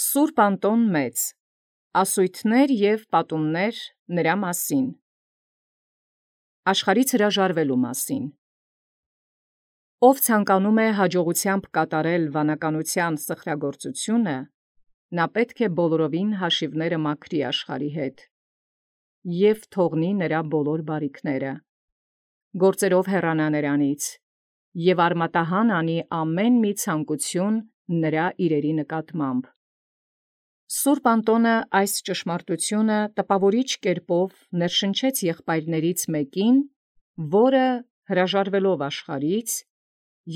Սուրբ Անտոն Մեծ, ասույթներ և պատումներ նրա մասին, աշխարհից հրաժարվելու մասին։ Ով ցանկանում է հաջողությամբ կատարել վանականության սխրագործությունը, նա պետք է բոլորովին հաշիվները մաքրի աշխարհի հետ և թողնի նրա բոլոր բարիքները, գործերով հեռանա նրանից և արմատահան անի ամեն մի ցանկություն նրա իրերի նկատմամբ։ Սուրբ Անտոնը այս ճշմարտությունը տպավորիչ կերպով ներշնչեց եղբայրներից մեկին, որը հրաժարվելով աշխարհից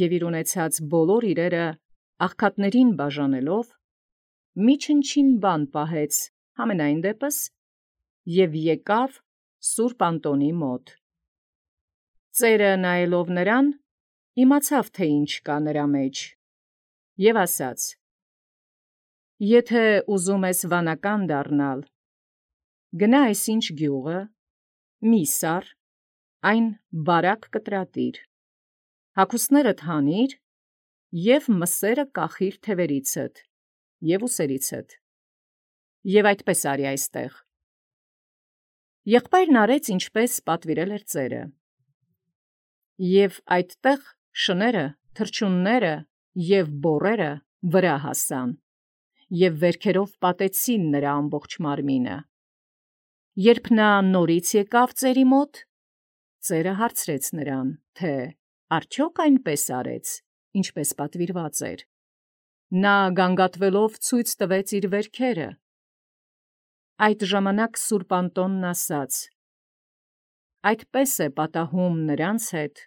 և իր ունեցած բոլոր իրերը աղքատներին բաժանելով, մի չնչին բան պահեց համենայն դեպս և եկավ Սուրբ Անտոնի մոտ։ Ծերը նայելով նրան, իմացավ, թե ինչ կա նրա մեջ, և ասաց. «Եթե ուզում ես վանական դառնալ, գնա այսինչ գյուղը, սար, այն բարակ կտրատիր, հագուստներդ հանիր և մսերը կախիր թևերիցդ և ուսերիցդ, և այդպես արի այստեղ»։ Եղբայրն արեց, ինչպես պատվիրել էր ծերը. և այդտեղ շները, թռչունները և բոռերը վրա հասան, և վերքերով պատեցին նրա ամբողջ մարմինը։ Երբ նա նորից եկավ ծերի մոտ, ծերը հարցրեց նրան, թե արդյոք այնպես արեց, ինչպես պատվիրված էր։ Նա գանգատվելով ցույց տվեց իր վերքերը։ Այդ ժամանակ Սուրբ Անտոնն ասաց. «Այդպես է պատահում նրանց հետ,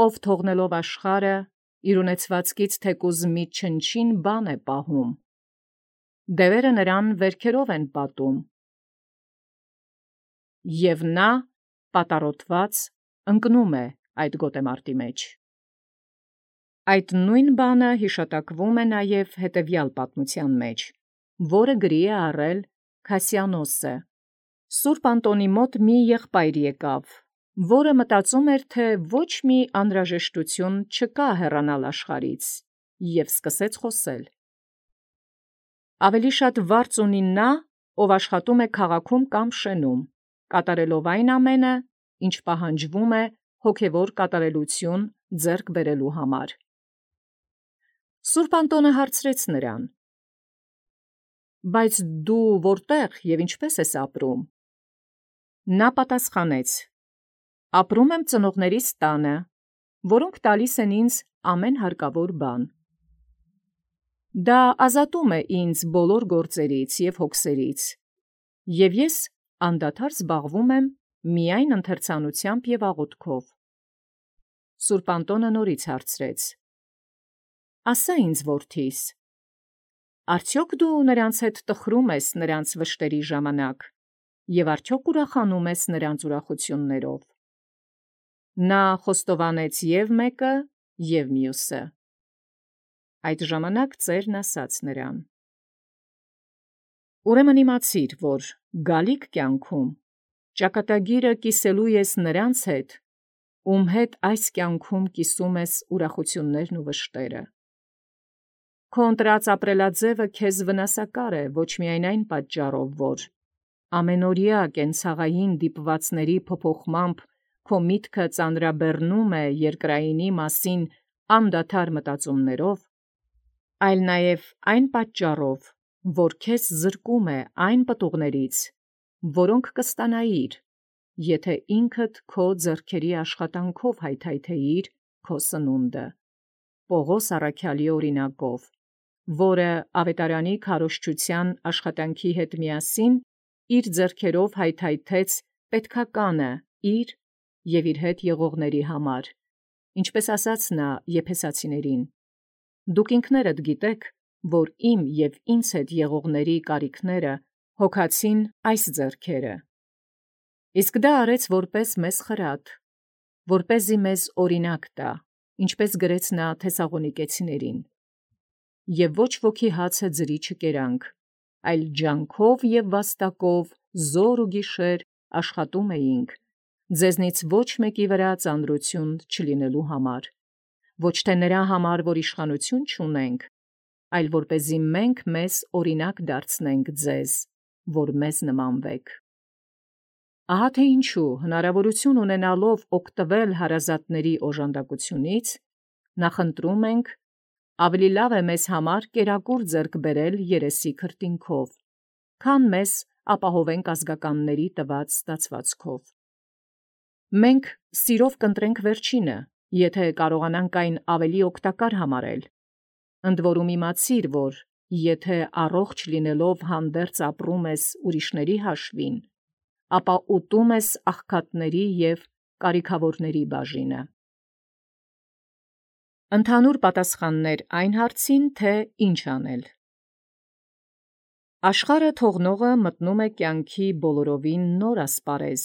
ով թողնելով աշխարհը, իր ունեցվածքից թեկուզ մի չնչին բան է պահում, դևերը նրան վերքերով են պատում, և նա պատառոտված ընկնում է այդ գոտեմարտի մեջ»։ Այդ նույն բանը յիշատակվում է նաև հետևյալ պատմության մեջ, որը գրի է առել Քասիանոսը։ Սուրբ Անտոնի մոտ մի եղբայր եկավ, որը մտածում էր, թե ոչ մի անհրաժեշտություն չկա հեռանալ աշխարհից, և սկսեց խոսել. «Ավելի շատ վարձ ունի նա, ով աշխատում է քաղաքում կամ շենում, կատարելով այն ամենը, ինչ պահանջվում է հոգևոր կատարելություն ձեռք բերելու համար»։ Սուրբ Անտոնը հարցրեց նրան. «Բայց դու որտե՞ղ և ինչպե՞ս ես ապրում»։ Նա պատասխանեց. «Ապրում եմ ծնողներիս տանը, որոնք տալիս են ինձ ամեն հարկավոր բան։ Դա ազատում է ինձ բոլոր գործերից և հոգսերից, և ես անդադար զբաղվում եմ միայն ընթերցանությամբ և աղոթքով»։ Սուրբ Անտոնը նորից հարցրեց. «Ասա ինձ, որդիս, արդյոք դու նրանց հետ տխրում ես նրանց վշտերի ժամանակ, և արդյոք ուրախանում ես նրանց ուրախություններով»։ Նա խոստովանեց և մեկը, և մյուսը։ Այդ ժամանակ ծերն ասաց նրան. «Ուրեմն իմացիր, որ գալիք կյանքում ճակատագիրը կիսելու ես նրանց հետ, ում հետ այս կյանքում կիսում ես ուրախություններն ու վշտերը։ Քո ընտրած ապրելաձևը քեզ վնասակար է ոչ միայն այն պատճառով, որ ամենօրյա կենցաղային դիպվածների փոփոխմամբ քո միտքը ծանրաբեռնում է երկրայինի մասին անդադար մտածումներով, այլ նաև այն պատճառով, որ քեզ զրկում է այն պտուղներից, որոնք կստանայիր, եթե ինքդ քո ձեռքերի աշխատանքով հայթայթեիր քո սնունդը։ Պողոս առաքյալի օրինակով, որը ավետարանի քարոզչության աշխատանքի հետ միասին իր ձեռքերով հայթայթեց պետքականը իր և իր հետ եղողների համար, ինչպես ասաց նա Եփեսացիներին. «Դուք ինքներդ գիտեք, որ իմ և ինձ հետ եղողների կարիքները հոգացին այս ձեռքերը։ Իսկ դա արեց որպես մեզ խրատ, որպեսզի մեզ օրինակ տա, ինչպես գրեց նա Թեսաղոնիկեցիներին. և ոչ ոքի հացը ձրի չկերանք, այլ ջանքով և վաստակով զօր ու գիշեր աշխատում էինք, ձեզնից ոչ մեկի վրա ծանրություն չլինելու համար, ոչ թե նրա համար, որ իշխանություն չունենք, այլ որպեսզի մենք մեզ օրինակ դարձնենք ձեզ, որ մեզ նմանվեք։ Ահա թե ինչու հնարավորություն ունենալով օգտվել հարազատների օժանդակությունից, նախընտրում ենք ավելի լավ է մեզ համար կերակուր ձեռք բերել երեսի քրտինքով, քան մեզ ապահովենք ազգականների տված ստացվածքով։ Մենք սիրով կընտրենք վերջինը, եթե կարողանանք այն ավելի օգտակար համարել, ընդ որում իմացիր, որ եթե առողջ լինելով հանդերձ ապրում ես ուրիշների հաշվին, ապա ուտում ես աղքատների և կարիքավորների բաժինը։ Ընդհանուր պատասխաններ այն հարցին, թե ինչ անել։ Աշխարհը թողնողը մտնում է կյանքի բոլորովին նոր ասպարեզ,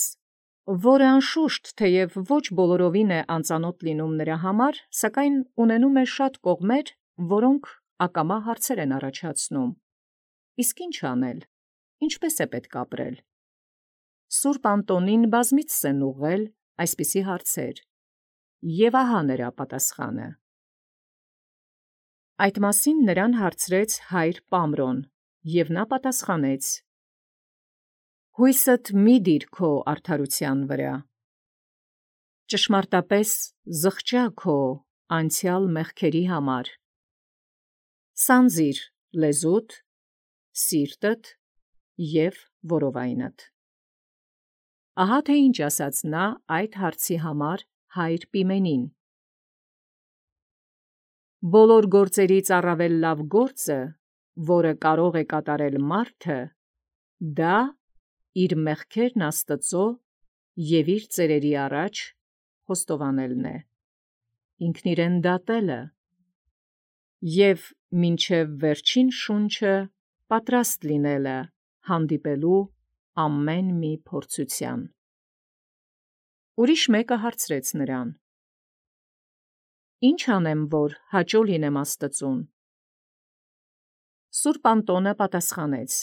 որը անշուշտ թեև ոչ բոլորովին է անծանոթ լինում նրա համար, սակայն ունենում է շատ կողմեր, որոնք ակամա հարցեր են առաջացնում։ Իսկ ինչ անել, ինչպես է պետք ապրել։ Սուրբ Անտոնին բազմիցս են ուղղել այսպիսի հարցեր, և ահա նրա պատասխանը։ Այդ մասին նրան հարցրեց հայր Պամրոն, և նա պատասխանեց. «Հույսդ մի դիր քո արդարության վրա, ճշմարտապես զղջա քո անցյալ մեղքերի համար, սանձիր լեզուդ, սիրտդ և որովայնդ»։ Ահա թե ինչ ասաց նա այդ հարցի համար հայր Պիմենին։ Բոլոր գործերից առավել լավ գործը, որը կարող է կատարել մարդը, դա իր մեղքերն Աստծո և իր ծերերի առաջ խոստովանելն է, ինքն իրեն դատելը և մինչև վերջին շունչը պատրաստ լինելը հանդիպելու ամեն մի փորձության։ Ուրիշ մեկը հարցրեց նրան. «Ի՞նչ անեմ, որ հաճո լինեմ Աստծուն»։ Սուրբ Անտոնը պատասխանեց.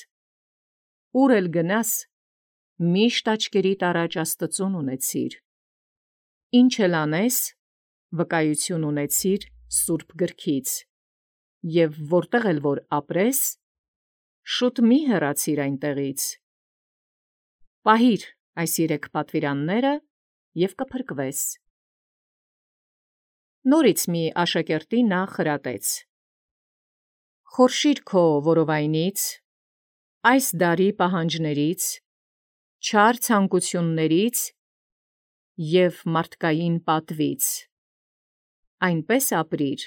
«Ուր էլ գնաս, միշտ աչքերիդ առաջ Աստծուն ունեցիր, ինչ էլ անես, վկայություն ունեցիր Սուրբ գրքից, և որտեղ էլ որ ապրես, շուտ մի հեռացիր այնտեղից։ Պահիր այս 3 պատվիրանները և կփրկվես»։ Նորից մի աշակերտի նա խրատեց. «Խորշիր քո որովայնից, այս դարի պահանջներից, չար ցանկություններից և մարդկային պատվից, այնպես ապրիր,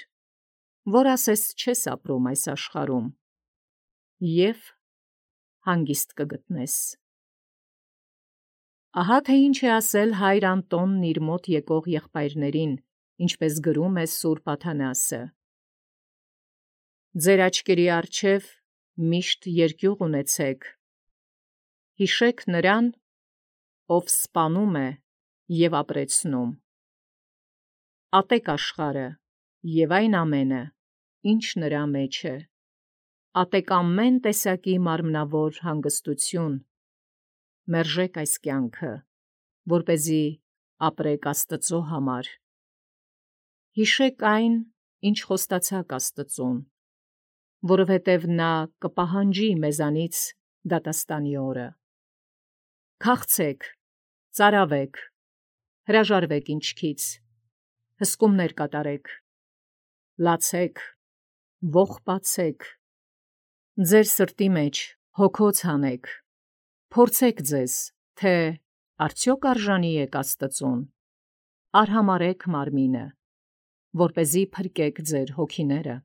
որ ասես չես ապրում այս աշխարհում, և հանգիստ կգտնես»։ Ահա թե ինչ է ասել հայր Անտոնն իր մոտ եկող եղբայրներին, ինչպես գրում է Սուրբ Աթանասը. «Ձեր աչքերի առջև միշտ երկյուղ ունեցեք, հիշեք նրան, ով սպանում է և ապրեցնում։ Ատեք աշխարհը և այն ամենը, ինչ նրա մեջ է, ատեք ամեն տեսակի մարմնավոր հանգստություն, մերժեք այս կյանքը, որպեսզի ապրեք Աստծո համար։ Հիշեք այն, ինչ խոստացաք Աստծուն, որովհետև նա կպահանջի մեզանից դատաստանի օրը։ Քաղցեք, ծարավեք, հրաժարվեք ինչքից, հսկումներ կատարեք, լացեք, ողբացեք, ձեր սրտի մեջ հոգոց հանեք, փորձեք ձեզ, թե արդյոք արժանի եք Աստծուն, արհամարհեք մարմինը, որպեսզի փրկեք ձեր հոգիները։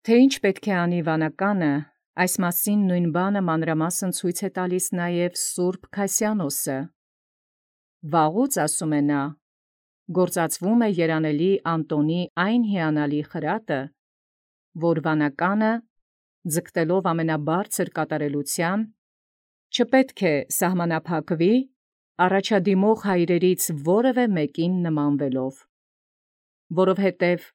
Թե ինչ պետք է անի վանականը, այս մասին նույն բանը մանրամասն ցույց է տալիս նաև Սուրբ Քասյանոսը։ Վաղուց, ասում է նա, գործածվում է երանելի Անտոնի այն հիանալի խրատը, որ վանականը, ձգտելով ամենաբարձր կատարելության, չպետք է սահմանափակվի առաջադիմող հայրերից որևէ մեկին նմանվելով, որովհետև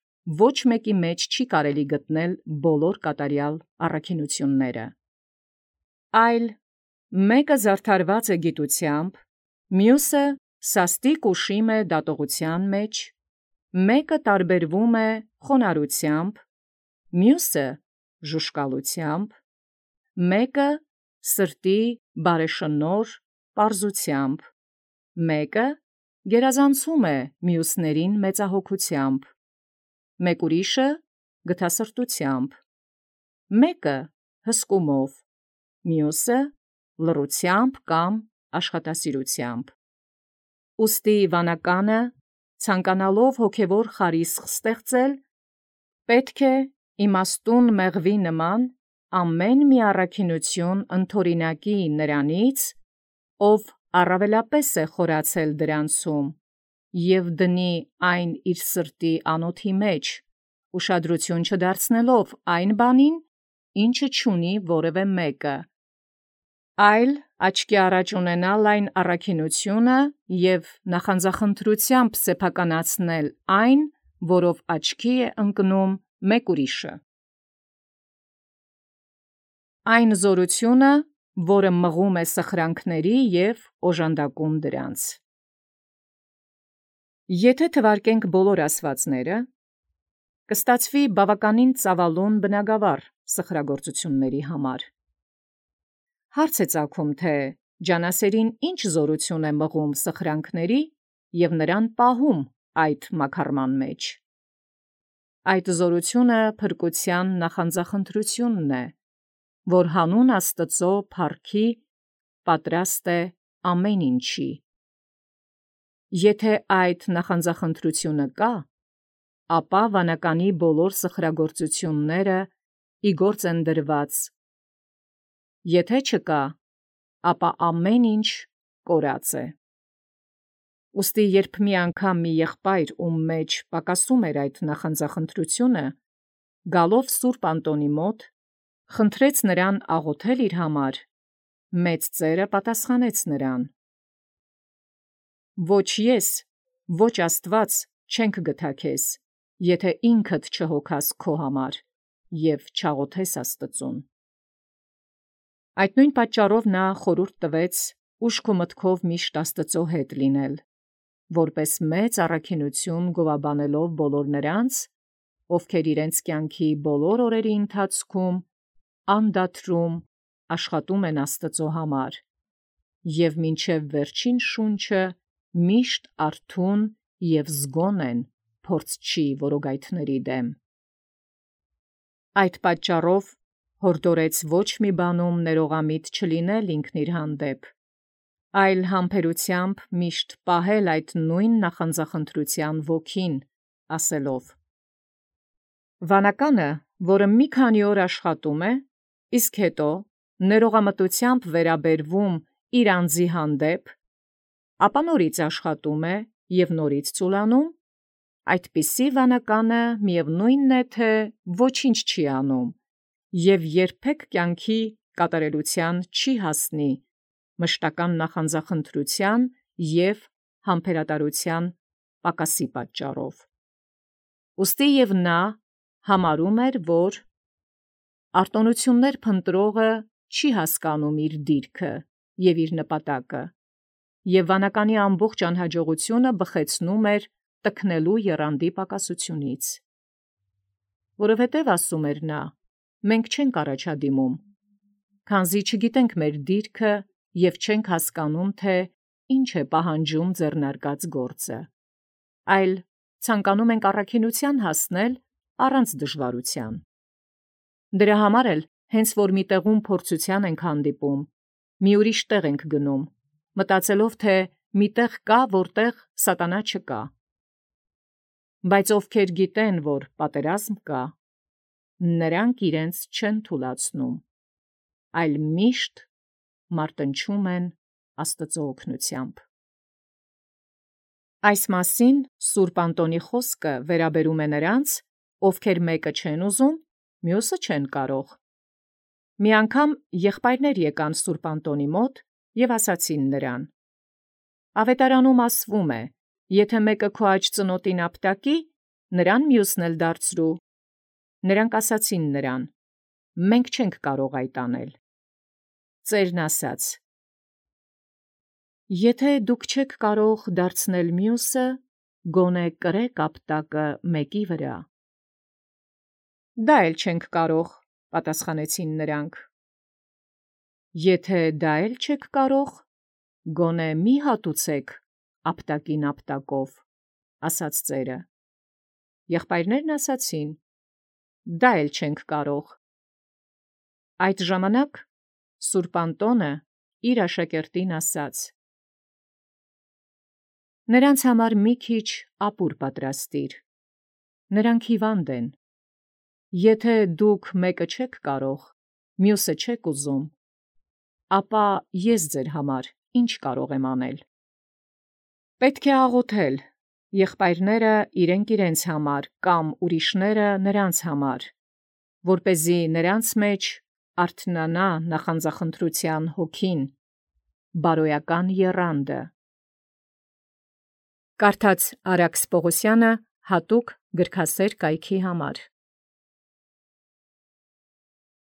ոչ մեկի մեջ չի կարելի գտնել բոլոր կատարյալ առաքինությունները, այլ մեկը զարդարված է գիտությամբ, մյուսը սաստիկ ուշիմ է դատողության մեջ, մեկը տարբերվում է խոնարհությամբ, մյուսը ժուշկալությամբ, մեկը սրտի բարեշնոր պարզությամբ, մեկը գերազանցում է մյուսներին մեծահոգությամբ, մեկ ուրիշը գթասրտությամբ, մեկը հսկումով, մյուսը լռությամբ կամ աշխատասիրությամբ։ Ուստի վանականը, ցանկանալով հոգևոր խարիսխ ստեղծել, պետք է իմաստուն մեղվի նման ամեն մի առաքինություն ընթորինակի նրանից, ով առավելապես է խորացել դրանցում, և դնի այն իր սրտի անոթի մեջ, ուշադրություն չդարձնելով այն բանին, ինչը չունի որևէ մեկը, այլ աչքի առաջ ունենալ այն առաքինությունը և նախանձախնդրությամբ սեփականացնել այն, որով աչքի է ընկնում մեկ ուրիշը։ Այն զորությունը, որը մղում է սխրանքների և օժանդակում դրանց։ Եթե թվարկենք բոլոր ասվածները, կստացվի բավականին ծավալուն բնագավառ սխրագործությունների համար։ Հարց է ծագում, թե ջանասերին ինչ զորություն է մղում սխրանքների և նրան պահում այդ մաքարման մեջ։ Այդ զորությունը փրկության նախանձախնդրությունն է, որ հանուն Աստծո փառքի պատրաստ է ամեն ինչի։ Եթե այդ նախանձախնդրությունը կա, ապա վանականի բոլոր սխրագործությունները ի գործ են դրված, եթե չկա, ապա ամեն ինչ կորած է։ Ուստի երբ մի անգամ մի եղբայր, ում մեջ պակասում էր այդ նախանձախնդրությունը, գալով Սուրբ Անտոնի մոտ, խնդրեց նրան աղոթել իր համար, մեծ ծերը պատասխանեց նրան. «Ոչ ես, ոչ Աստված չենք գթա քեզ, եթե ինքդ չհոգաս քո համար և չաղոթես Աստծուն»։ Այդ նույն պատճառով նա խորհուրդ տվեց ուշք ու մտքով միշտ Աստծո հետ լինել, որպես մեծ առաքինություն գովաբանելով բոլոր նրանց, ովքեր իրենց կյանքի բոլոր օրերի ընթացքում անդադրում աշխատում են Աստծո համար, և մինչև վերջին շունչը միշտ արթուն և զգոն են փորձչի որոգայթների դեմ։ Այդ պատճառով հորդորեց ոչ մի բանում ներողամիտ չլինել ինքն իր հանդեպ, այլ համբերությամբ միշտ պահել այդ նույն նախանձախնդրության ոգին, ասելով. «Վանականը, որը մի քանի օր աշխատում է, իսկ հետո ներողամտությամբ վերաբերվում իր անձի հանդեպ, ապա նորից աշխատում է և նորից ծուլանում, այդպիսի վանականը միևնույն է, թե ոչինչ չի անում և երբեք կյանքի կատարելության չի հասնի մշտական նախանձախնդրության և համբերատարության պակասի պատճառով»։ Ուստի և նա համարում էր, որ արտոնություններ փնտրողը չի հասկանում իր դիրքը և իր նպատակը, և վանականի ամբողջ անհաջողությունը բխեցնում էր տքնելու եռանդի պակասությունից։ Որովհետև, ասում էր նա, մենք չենք առաջադիմում, քանզի չգիտենք մեր դիրքը և չենք հասկանում, թե ինչ է պահանջում ձեռնարկած գործը, այլ ցանկանում ենք առաքինության հասնել առանց դժվարության։ Դրա համար էլ, հենց որ մի տեղում փորձության ենք հանդիպում, մի ուրիշ տեղ ենք գնում, մտածելով, թե մի տեղ կա, որտեղ սատանա չկա։ Բայց ովքեր գիտեն, որ պատերազմ կա, նրանք իրենց չեն թուլացնում, այլ միշտ մարտնչում են Աստծո օգնությամբ։ Այս մասին Սուրբ Անտոնի խոսքը վերաբերում է նրանց, ովքեր մեկը չեն ուզում, մյուսը չեն կարող։ Մի անգամ եղբայրներ եկան Սուրբ Անտոնի մոտ և ասացին նրան. «Ավետարանում ասվում է, եթե մեկը քո աջ ծնոտին ապտակի, նրան մյուսն էլ դարձրու»։ Նրանք ասացին նրան. «Մենք չենք կարող այդ անել»։ Ծերն ասաց. «Եթե դուք չեք կարող դարձնել մյուսը, գոնե կրեք ապտակը մեկի վրա»։ Դա էլ չենք կարող, պատասխանեցին նրանք։ Եթե դա էլ չեք կարող, գոնե մի հատուցեք ապտակին ապտակով, ասաց ծերը։ Եղբայրներն ասացին. դա էլ չենք կարող։ Այդ ժամանակ Սուրբ Անտոնը իր աշակերտին ասաց. նրանց համար մի քիչ ապուր պատրաստիր, նրանք հիվանդ են։ Եթե դուք մեկը չեք կարող, մյուսը չեք ուզում, ապա ես ձեր համար ինչ կարող եմ անել։ Պետք է աղոթել, եղբայրները իրենք համար կամ ուրիշները նրանց համար, որպեսզի նրանց մեջ արթնանա նախանձախնդրության հոգին, բարոյական եռանդը։ Կարդաց Արաքս Պողոսյանը հատուկ գրքասեր կայքի համար։